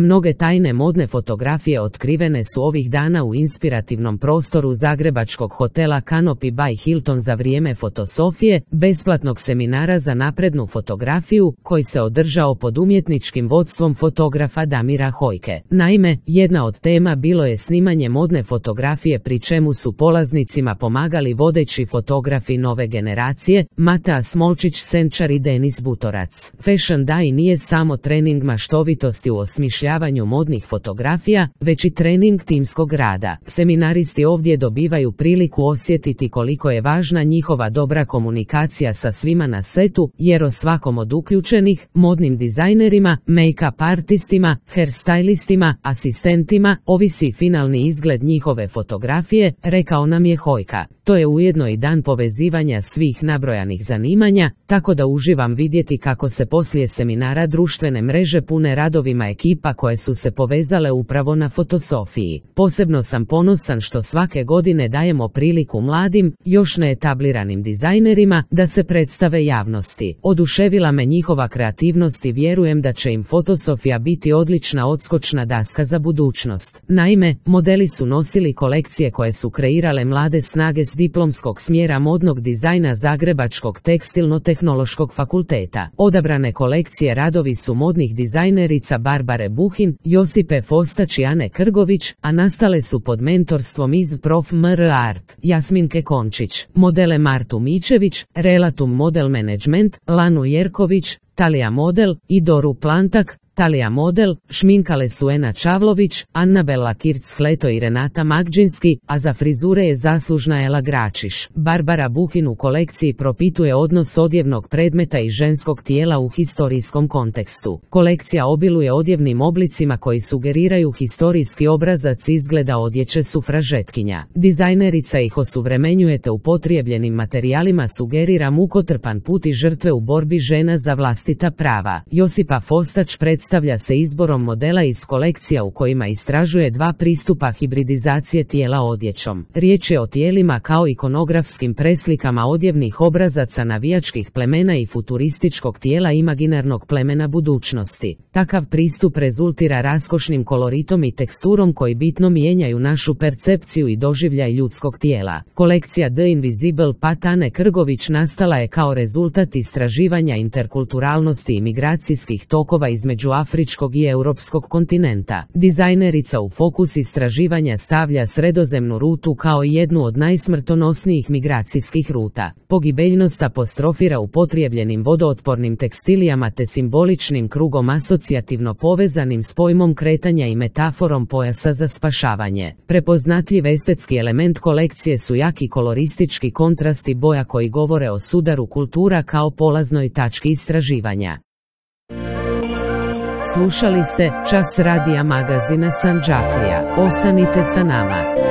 Mnoge tajne modne fotografije otkrivene su ovih dana u inspirativnom prostoru zagrebačkog hotela Canopy by Hilton za vrijeme Fotosofije, besplatnog seminara za naprednu fotografiju, koji se održao pod umjetničkim vodstvom fotografa Damira Hojke. Naime, jedna od tema bilo je snimanje modne fotografije, pri čemu su polaznicima pomagali vodeći fotografi nove generacije, Matea Smolčić-Senčar i Denis Butorac. Fashion Day nije samo trening maštovitosti u osmišljavanju modnih fotografija, već i trening timskog rada. Seminaristi ovdje dobivaju priliku osjetiti koliko je važna njihova dobra komunikacija sa svima na setu, jer o svakom od uključenih, modnim dizajnerima, make-up artistima, hairstylistima, asistentima, ovisi finalni izgled njihove fotografije, rekao nam je Hojka. To je ujedno i dan povezivanja svih nabrojanih zanimanja, tako da uživam vidjeti kako se poslije seminara društvene mreže pune radovima ekipa koje su se povezale upravo na Fotosofiji. Posebno sam ponosan što svake godine dajemo priliku mladim, još neetabliranim dizajnerima da se predstave javnosti. Oduševila me njihova kreativnost i vjerujem da će im Fotosofija biti odlična odskočna daska za budućnost. Naime, modeli su nosili kolekcije koje su kreirale mlade snage s diplomskog smjera modnog dizajna Zagrebačkog tekstilno-tehnološkog fakulteta. Odabrane kolekcije radovi su modnih dizajnerica Barbare Buhin, Josipe Fostać i Ane Krgović, a nastale su pod mentorstvom iz Prof. MR Art, Jasminke Končić, modele Martu Mičević, Relatum Model Management, Lanu Jerković, Talija Model i Doru Plantak. Talija Model šminkale su Ena Čavlović, Annabela Kirc-Hleto i Renata Magdžinski, a za frizure je zaslužna Ela Gračiš. Barbara Buhin u kolekciji propituje odnos odjevnog predmeta i ženskog tijela u historijskom kontekstu. Kolekcija obiluje odjevnim oblicima koji sugeriraju historijski obrazac izgleda odjeće sufražetkinja. Dizajnerica ih osuvremenjujete upotrijebljenim materijalima, sugerira mukotrpan put i žrtve u borbi žena za vlastita prava. Josipa Fostać predstavlja se izborom modela iz kolekcija u kojima istražuje dva pristupa hibridizacije tijela odjećom. Riječ je o tijelima kao ikonografskim preslikama odjevnih obrazaca navijačkih plemena i futurističkog tijela imaginarnog plemena budućnosti. Takav pristup rezultira raskošnim koloritom i teksturom koji bitno mijenjaju našu percepciju i doživljaj ljudskog tijela. Kolekcija The Invisible Path Ane Krgović nastala je kao rezultat istraživanja interkulturalnosti i migracijskih tokova između afričkog i europskog kontinenta. Dizajnerica u fokus istraživanja stavlja sredozemnu rutu kao jednu od najsmrtonosnijih migracijskih ruta. Pogibeljnost apostrofira upotrijebljenim vodootpornim tekstilijama te simboličnim krugom asocijativno povezanim s pojmom kretanja i metaforom pojasa za spašavanje. Prepoznatljiv estetski element kolekcije su jaki koloristički kontrasti boja koji govore o sudaru kultura kao polaznoj tački istraživanja. Slušali ste Čas radija magazina Sandžaklija. Ostanite sa nama.